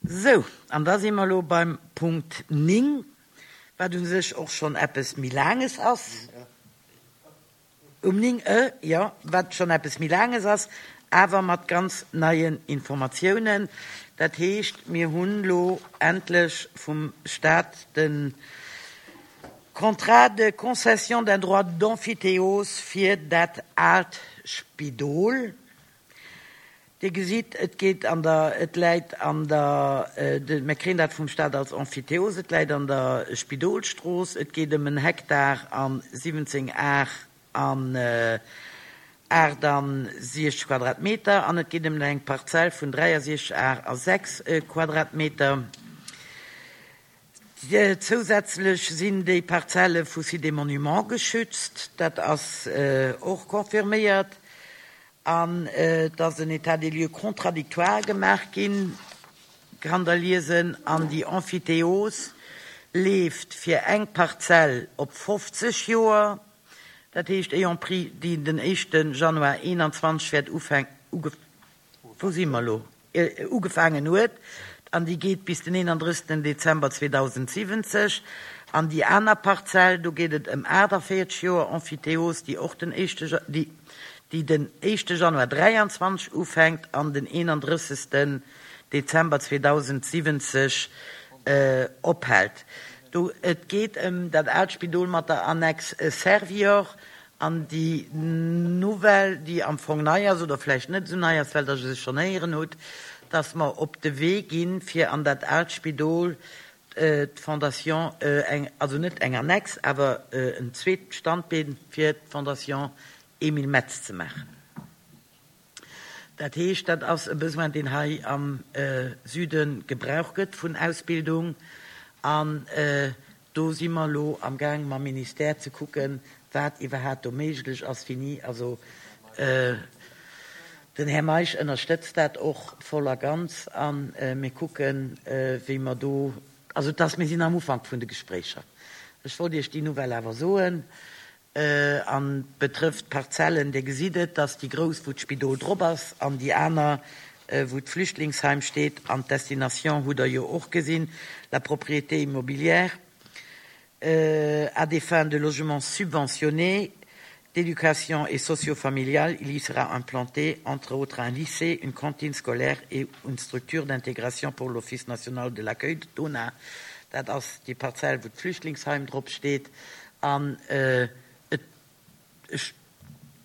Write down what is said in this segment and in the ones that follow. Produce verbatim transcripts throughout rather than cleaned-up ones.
Sou, an da si mer elo beim Punkt néng, wat u sech och schonn eppes méi Laanges ass. Um néng e, jo, wat schonn eppes méi Laanges ass, awer mat ganz neien Informatiounen. Dat heescht, mir hunn elo endlech vum Stat de Contrat de concession d'un droit d'emphytéose fir dat aalt Spidol. Dir gesitt, et geet an der, et läit an der, mir kréien dat vum Stat als Emphytéose, et läit an der Spidolstrooss, et geet ëm en Hektar a siwwenzéng Ar an aachtansiechzeg Quadratmeter an et geet ëm eng Parzell vun dräiasiechzeg Ar a sechs Quadratmeter. Zousätzlech sinn déi Parzelle vu Sites et Monuments geschützt, dat ass och confirméiert. An et ass en État des lieux contradictoire gemaach ginn, kann Der liesen, an déi Emphytéose leeft fir eng Parzell op fofzeg Joer, dat heescht ayant pris, déi den éischte Januar eenanzwanzeg wäert ufänken, wou si mer elo? Ugefaangen huet, an déi geet bis den eenandrëssegsten Dezember zweedausendsiwwenzeg. An déi aner Parzell, do geet et ëm aachtavéierzeg Joer Emphytéose, déi och den éischte, déi, déi den éischte Januar dräianzwanzeg ufänkt an den eenandrëssegsten Dezember zweedausendsiwwenzeg ophält. Do, et geet ëm dat aalt Spidol mat der Annex Servior an déi Nouvelle, déi am Fong nei ass oder vläicht net esou nei ass, well Der se schonn héieren hutt, dass mer op de Wee ginn, fir an dat aalt Spidol d'Fondation, eng, also net eng Annex, awer en zweet Standbeen fir d'Fondation Emile Metz ze maachen. Dat heescht, dat ass e Besoin, deen hei am Süde gebraucht gëtt vun Ausbildung. An do si mer elo amgaang mam Ministère ze kucken, wat iwwerhaapt do méiglech ass, wéini. Also den Här Meisch ënnerstëtzt dat och voll a ganz a mir kucken, wéi mer do, also et ass, mir sinn am Ufank vun de Gespréicher. Ech wollt Iech déi Nouvelle awer soen. An betrëfft d'Parzellen, Dir gesitt et, dass déi grouss, wou d'Spidol drop ass, an déi aner, wou d'Flüchtlingsheim steet, an d'Destination hutt Der jo och gesinn, la propriété immobilière à des fins de logement subventionné, d'éducation et socio-familiale, il y sera implanté, entre autres, un lycée, une cantine scolaire et une structure d'intégration pour l'Office national de l'accueil, d'ONA. Dat ass déi Parzell, wou d'Flüchtlingsheim drop steet. An et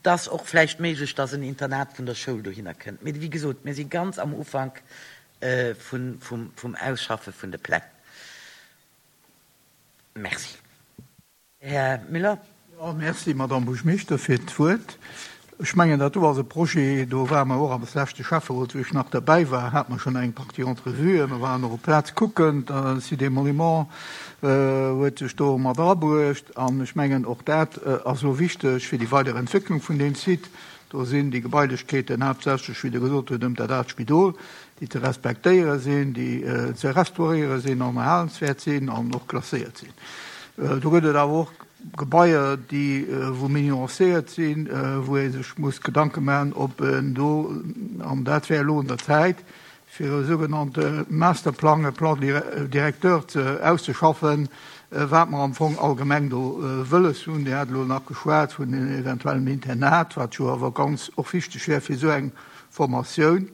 ass och vläicht méiglech, dass en Internat vun der Schoul dohinner kënnt. Mee wéi gesot, mir si ganz am Ufank vum Ausschaffe vun de Pläng. Merci. Här Müller. Jo, merci, Madamm Buergermeeschter, fir d'Wuert. Ech mengen, dat do ass e Projet, do ware mer och am leschte Schäfferot, wou ech nach derbäi war, hate mer schonn eng Partie Entrevuen. Mer waren och op d'Plaz kucken. D'Cité des Monuments huet sech do mat erabruecht. An ech mengen, och dat ass elo wichteg fir déi weider Entwécklung vun deem Site. Do sinn déi Gebailechkeeten haaptsächlech, wéi Der gesot hutt, ëm dat aalt Spidol, déi ze respektéiere sinn, déi ze restauréiere sinn an erhalenswäert sinn an och klasséiert sinn. Do gëtt et awer och Gebaier, déi wou méi nuancéiert sinn, wou ee sech muss Gedanke maachen, ob en do, an dat wär elo un der Zäit, fir e sougenannte Masterplang, e Plan directeur ze auszeschaffen, wat mer am Fong allgemeng do wëlles hunn. Dir hat elo nach geschwat vun eventuellem Internat, wat jo awer ganz och wichteg wär fir esou eng Formatioun,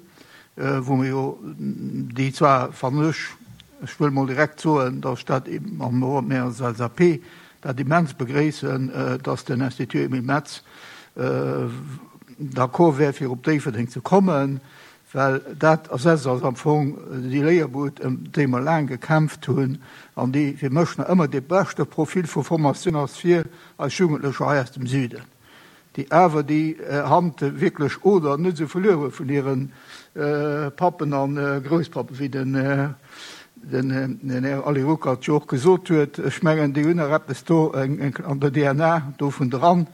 wou mer jo déi zwar, fannen ech, ech wëll mol direkt soen, datt ech dat an och mir als L S A P dat immens begréissen, dass den Institut Emile Metz d'accord wär, fir op Déifferdeng ze kommen, well dat ersetzt ass am Fong déi Léierbud, ëm déi mer laang gekämpft hunn an déi fir mech nach ëmmer dee beschte Profil vu Formatioun ass fir eis Jugendlecher hei aus dem Süden, déi awer déi Hand wierklech oder net esou verluer hu vun hire Pappen a Grousspappen, wéi den den Här Ali Ruckert jo och gesot huet. Ech mengen, déi hunn nach eppes do an der D N A dovun dran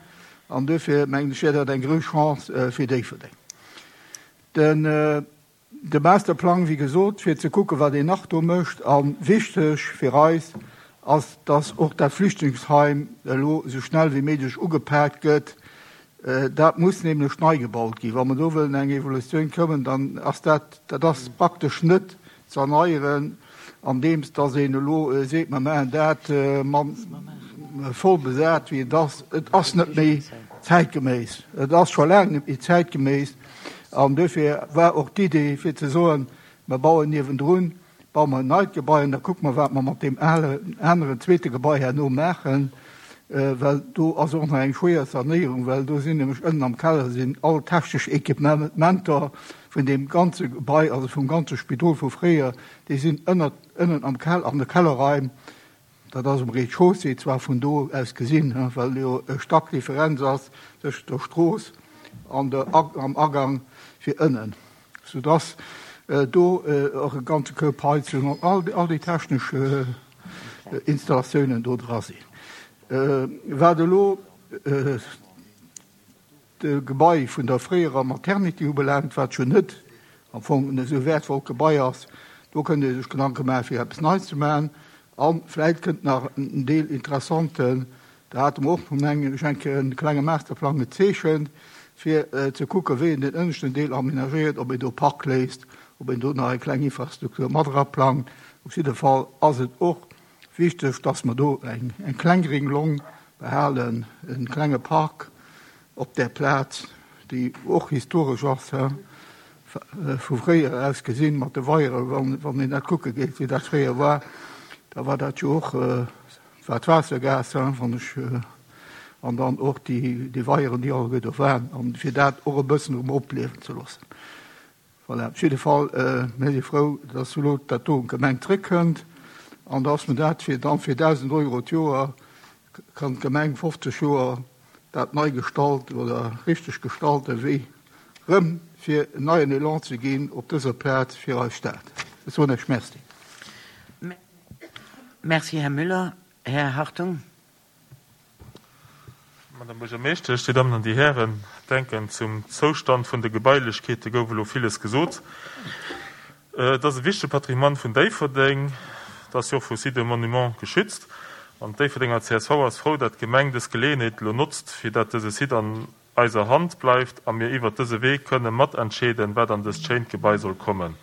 an duerfir mengen ech, wär dat eng grouss Chance fir Déifferdeng. Den de Masterplang, wéi gesot, fir ze kucken, wat een nach do mécht, a wichteg fir eis ass, dass och dat Flüchtlingsheim elo esou schnell wéi méiglech ugepaakt gëtt. Dat muss nämlech nei gebaut ginn. Wa mer do wëllen eng Evolutioun kommen, dann ass dat, dat ass praktesch net ze erneieren, andeems dass een elo seet, mer maachen dat voll besat, wéi et ass. Et ass net méi zäitgeméiss. Et ass scho laang net méi zäitgeméiss. An dofir war och d'Idee, fir ze soen, mer bauen niewendrun, baue mer en neit Gebai an da kucke mer, wat mer mat deem alen, aneren, zweete Gebai herno maachen, well do ass och nach eng schwéier Sanéierung, well do sinn nämlech ënnen am Keller sinn all technesch Equipementer vun deem ganze Gebai, also vum ganze Spidol vu fréier, déi sinn ënnert, ënnen am Keller, an de Kellerraim. Dat ass um Rez-de-chaussée zwar vun do aus gesinn, well jo e Stack Differenz ass tëschent der Strooss an der, am Agang fir ënnen, soudass do och e ganze Koup Heizung an all, all déi technesch Installatiounen do dra sinn. Wat elo de Gebai vun der fréierer Maternity ubelaangt, wat jo net am Fong en esou wäertvollt Gebai ass, do kënnt ee sech Gedanke maachen, fir eppes Neits ze maachen. A vläicht kënnt nach en Deel interessanten, da hate mer och, mengen ech, eng Kéier e klenge Masterplang gezeechent, fir ze kucken, wéi een den ënneschten Deel aménagéiert, ob een do Park léisst, ob een do nach eng kleng Infrastruktur mat eraplangt. Op jidde Fall ass et och wichteg, dass mer do eng, eng kleng gréng Long behalen, e klenge Park op där Plaz, déi och historesch ass, vu fréier aus gesinn, mat de Weieren, wann, wann een dat kucke geet, wéi dat fréier war, da war dat jo och, war d'Waassergaass, wann ech, an dann och déi, déi Weieren, déi alleguer do waren, an fir dat och e bëssen erëm opliewen ze loossen. Voilà, op jidde Fall, mir si frou, dass elo dat do un d'Gemeng zréckkënnt an dass mer dat fir dann fir dausend Euro d'Joer kann d'Gemeng fofzeg Joer dat nei gestalt oder richteg gestalte wéi rëm fir en neien Elan ze ginn op dëser Plaz fir eis Stad. Ech soen Iech Merci. Merci, Här Müller. Här Hartung. Madame Buergermeeschtesch, Dir Dammen an Dir Hären, denken, zum Zoustand vun de Gebailechkeete gouf elo villes gesot. Et ass e wichtege Patrimoine vun Déifferdeng, et ass jo och vu Sites et Monuments geschützt. An d'Déifferdenger C S V ass frou, dat d'Gemeng dës Geleeënheet elo notzt, fir dat dëse Site an eiser Hand bleift a mir iwwert dëse Wee kënne matentscheeden, wat an dëst schéint Gebai soll kommen.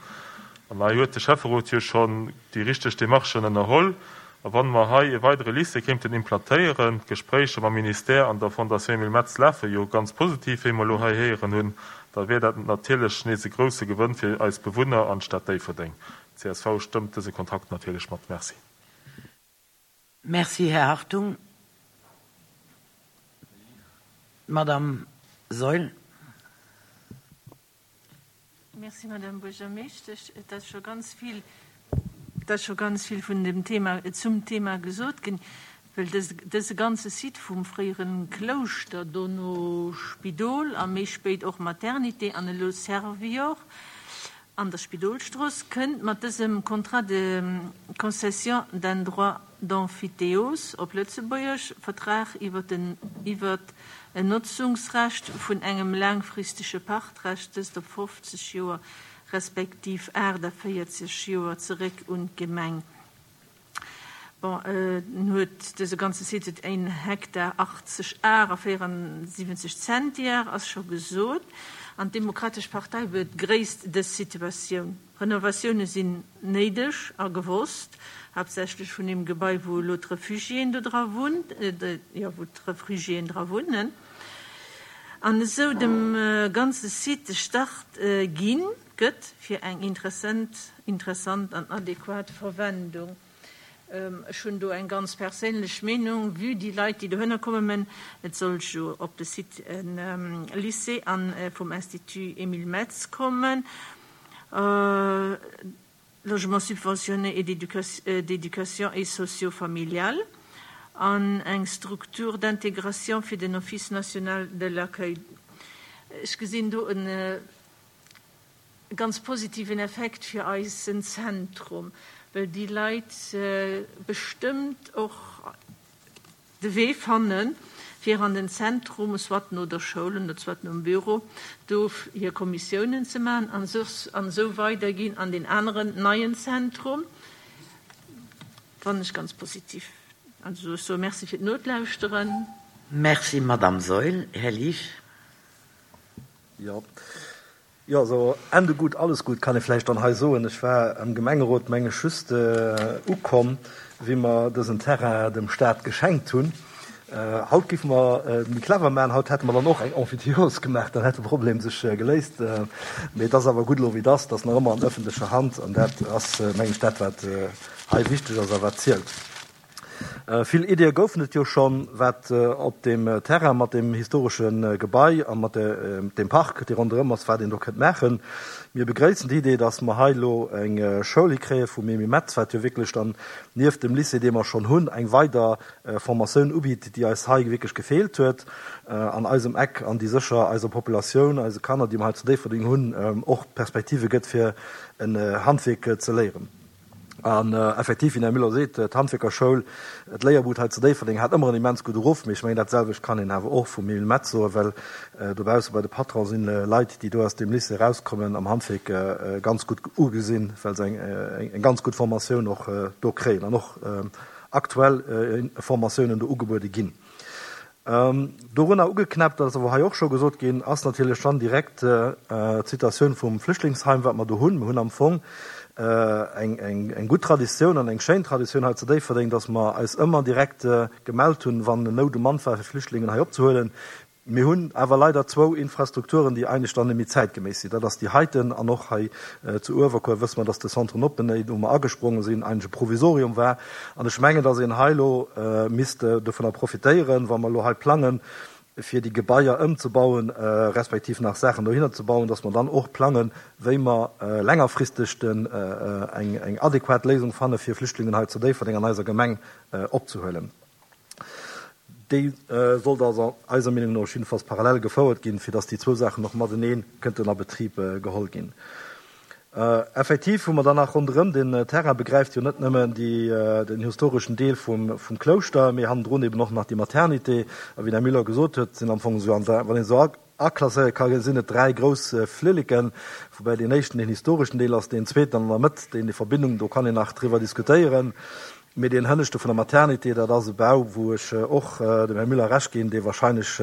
An hei huet de Schäfferot jo schonn déi richteg Demarchen ënnerholl. A wann mer hei e weidere Lycée kéinten implantéieren, d'Gespréicher mam Ministère an der Fondation Emile Metz lafe jo ganz positiv, wéi mer elo hei héieren hunn, da wier dat natierlech nees e grousse Gewënn fir eis Bewunner an d'Stad Déifferdeng. D C S V stëmmt dëse Kontrakt natierlech mat. Merci. Merci, Här Hartung. Madame Saeul. Merci, Madame Buergermeeschtesch. Et ass scho ganz vill, et ass scho ganz vill vun dem Thema, zum Thema gesot ginn, well dës, dëse ganze Site vum fréiere Klouschter, dono Spidol a méi spéit och Maternité an elo Servior an der Spidolstrooss, kënnt mat dësem Contrat de concession d'un droit d'emphytéose, op Lëtzebuergesch Vertrag iwwer den, iwwer en Notzungsrecht vun engem laangfristege Pachtrecht, dëst op fofzeg Joer respektiv aachtavéierzeg Joer, zeréck un d'Gemeng. Bon, en huet dëse ganze Site huet een Hektar achtzeg Ar a véierundsiwwenzeg Zentiar, ass scho gesot. An d'Demokratesch Partei begréisst dës Situatioun. Renovatioune sinn néideg a gewosst, haaptsächlech vun deem Gebai, wou elo d'Refugiéen do dra wunnt, jo, wou d'Refugiéen dra wunnen. An esou dem ganze Site de Start ginn gëtt fir eng interessant, interessant an adequat Verwendung. Ech hunn do eng ganz perséinlech Meenung, vue déi Leit, déi dohinner kommen, et soll jo op de Site en Lycée an vum Institut Emile Metz kommen, Logement subventionné et d'éducation et socio-familial an eng Structure d'intégration fir den Office national de l'accueil. Ech gesinn do e ganz positiven Effekt fir eisen Zentrum, well déi Leit bestëmmt och de Wee fannen, fir an den Zentrum, soit no der Schoul oder soit nom Büro, do hir Kommissiounen ze maachen an esou weider ginn an deen aneren neien Zentrum. Fannen ech ganz positiv. Also ech soe Merci fir d'Nolauschteren. Merci, Madame Saeul. Här Liesch. Jo, Jo, also Ende gut, alles gut, kann ee vläicht dann hei soen. Ech war am Gemengerot, meng ech, just ukomm, wéi mer dësen Terrain dem Staat geschenkt hunn. Haut géife mer et méi clever maachen, haut hätte mer dann och eng Emphytéose gemaach, dann hätt de Problem sech geléist. Mee et ass awer gutt elo wéi et ass, et ass nach ëmmer an ëffentlecher Hand an dat ass, meng ech, dat wat hei wichteg ass a wat zielt. Vill Ideeë goufen et jo schonn, wat op deem Terrain mat deem historesche Gebai a mat deem Park, dee ronderëm ass, wat een do kënnt maachen. Mir begréissen déi Idee, dass mer hei elo eng Schoul hikréie vum Emile Metz, wat jo wierklech dann nieft dem Lycée, dee mer schonn hunn, eng weider Formatioun ubitt, déi eis hei wierklech gefeelt huet an eisem Eck an déi sécher eiser Populatioun, eise Kanner, déi mer hei zu Déifferdeng hunn, och Perspektive gëtt, fir en Handwierk ze léieren. An effektiv, wéi den Här Müller seet, d'Handwierkerschoul, d'Léierbud hei zu Déifferdeng hat ëmmer en immens gudde Ruff. Mee ech mengen, dat selwecht kann een awer och vum Emile Metz soen, well dobausse bei de Patrone sinn Leit, déi do aus deem Lycée erauskommen, am Handwierk ganz gutt ugesinn, well se eng ganz gutt Formatioun och do kréien an och aktuell Formatiounen do ugebuede ginn. Dorunner ugeknäppt, dat ass awer hei och scho gesot ginn, ass natierlech dann direkt d'Situatioun vum Flüchtlingsheim, wat mer do hunn. Mir hunn am Fong eng gutt Traditioun an eng schéin Traditioun hei zu Déifferdeng, dass mer eis ëmmer direkt gemellt hunn, wann Nout um Mann war, fir Flüchtlingen hei opzehuelen. Mir hunn awer leider zwou Infrastrukturen, déi eigentlech dann net méi zäitgeméiss sinn. Dat ass déi heiten an och hei zu Uewerkuer wësse mer, dass de Centre Noppeney, wou mer agespronge sinn, eigentlech e Provisorium war. An ech mengen, dass een hei elo misst dovunner profitéieren, wa mer elo hei plangen, fir déi Gebaier ëmzebauen, respektiv nach Saachen dohinner ze bauen, dass mer dann och plangen, wéi mer längerfristeg eng adequat Léisung fanne fir Flüchtlingen hei zu Déifferdeng an eiser Gemeng opzehuelen. Déi sollt also eiser Meenung no jiddefalls parallel gefouert ginn, fir dass déi zwou Saachen och matenee kënnten a Betrib geholl ginn. Effektiv hu mer dann nach ronderëm den Terrain, begräift jo net nëmmen den historeschen Deel vum Klouschter, mee hannendrun eben och nach déi Maternité. A wéi den Här Müller gesot huet, sinn am Fong esou, wann een esou aklasséiere ka sinn et dräi grouss Flilleken, woubäi deen éischten deen historeschen Deel ass, deen zweeten an der Mëtt, deen déi Verbindung, do kann een nach driwwer diskutéieren. Mee deen hënneschte vun der Maternité, dat ass e Bau, wou ech och dem Här Müller Recht ginn, dee wahrscheinlech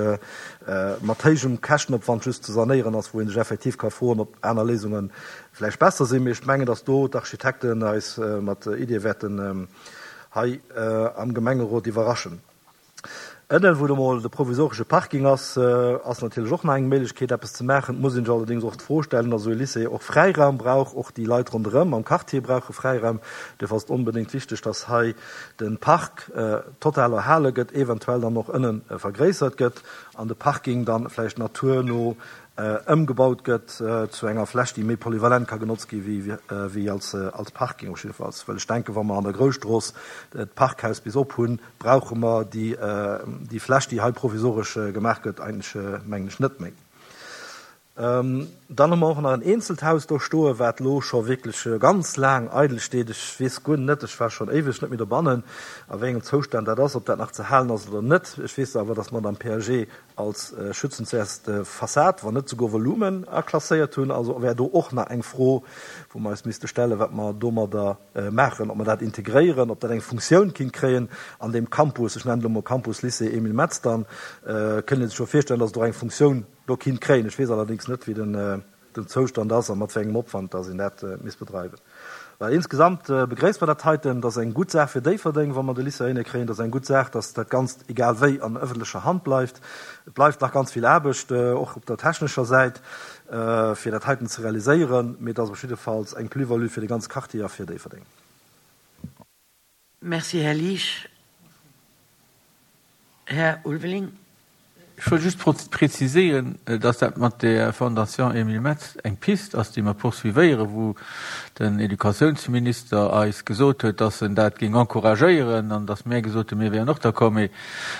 mat héijem Käschtenopwand just ze sanéieren ass, wou ee sech effektiv ka froen, ob aner Léisunge vläicht besser sinn. Mee ech mengen, datt do d'Architekten eis mat Iddie wäerten hei am Gemengerot iwwerraschen. Ënnen, wou do mol de provisoresche Parking ass, ass natierlech och nach eng Méiglechkeet, eppes ze maachen. Et muss een sech allerdéngs och d'Fro stellen, datt esou e Lycée och Fräiraum brauch. Och déi Leit ronderëm am Quartier brauche Fräiraum. Duerfir ass et onbedéngt wichteg, datt hei de Park total erhale gëtt, eventuell dann och ënne vergréissert gëtt an de Parking dann vläicht naturno ëmgebaut gëtt zu enger Fläch, déi méi polyvalent ka genotzt gi wéi als Parking. Op jiddefalls, well ech denken, wa mer an der Grousstrooss d'Parkhaus bis op hunn, brauche mer déi Fläch, déi hei provisoresch gemaach gëtt, eigentlech, mengen ech, net méi. Dann hu mer och nach en eenzelt Haus do stoen, wat elo scho wierklech ganz laang eidel steet. Ech weess guer net, ech war schonn éiweg net méi dobannen, a wéi engem Zoustand dat ass, ob dat nach ze halen ass oder net. Ech weess awer, dass mer et am P A G als schützenswäerste Fassad, wann net souguer Volumen, aklasséiert hunn. Also wär do och nach eng Fro, wou mer eis misste stellen, wat mer domadder maachen, ob mer dat integréieren, ob dat eng Funktioun kinnt kréien an deem Campus, ech nennen et elo mol Campus Lycée Emile Metz, dann kënnt ee sech jo virstellen, dass et och eng Funktioun do kinnt kréien. Ech weess allerdéngs net, wéi den Zoustand ass a mat wéi engem Opwand dass een dat misst bedreiwen. Well insgesamt begréisst mer dat heiten. Dat ass eng gutt Saach fir Déifferdeng, wa mer de Lycée heihinne kréien. Dat ass eng gutt Saach, dass dat Ganzt egal wéi an ëffentlecher Hand bleift. Et bleift nach ganz vill Aarbecht, och op der technescher Säit, fir dat heiten ze realiséieren. Mee et ass op jiddefalls eng Plus-value fir de ganze Quartier a fir Déifferdeng. Merci, Här Liesch. Här Ulveling. Ech wëll just preziséieren, dass dat mat der Fondation Emile Metz eng Piste ass, déi mer poursuivéieren, wou den Educatiounsminister eis gesot huet, dass en dat géing encouragéieren an dass mär gesot hunn, mir wären och d'accord. Mee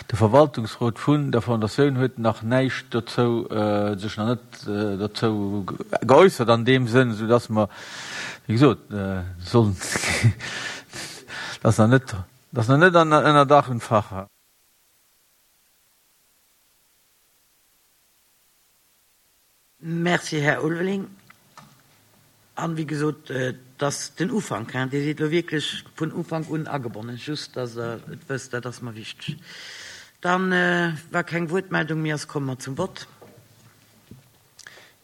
de Verwaltungsrot vun der Fondatioun huet nach näischt dozou, sech nach net dozou geäussert an deem Sënn, soudass mer, wéi gesot, sollen, dass nach net, dass nach net ënner Dach und Fach. Merci, Här Ulveling. An, wéi gesot, et ass den Ufank, hein. Dir sidd elo wierklech vun Ufank un agebonnen, just dass Der et wësst, dat ass mer wichteg. Dann, wa keng Wuertmeldung méi ass, komme mer zum Vott.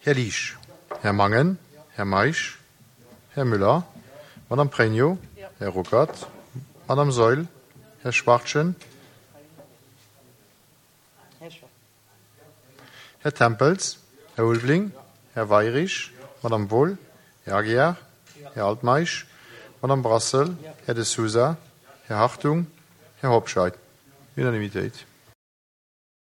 Här Liesch. Här Mangen, Här Meisch, Här Müller, Madame Pregno, Här Ruckert, Madame Seul, Här Schwartchen, Här Tempels, Här Ulveling, Här Weyrich, Madame Wohl, Här Aguiar, Här Altmeisch, Madame Brassel, Här De Sousa, Här Hartung, Här Hobscheit. Unanimitéit.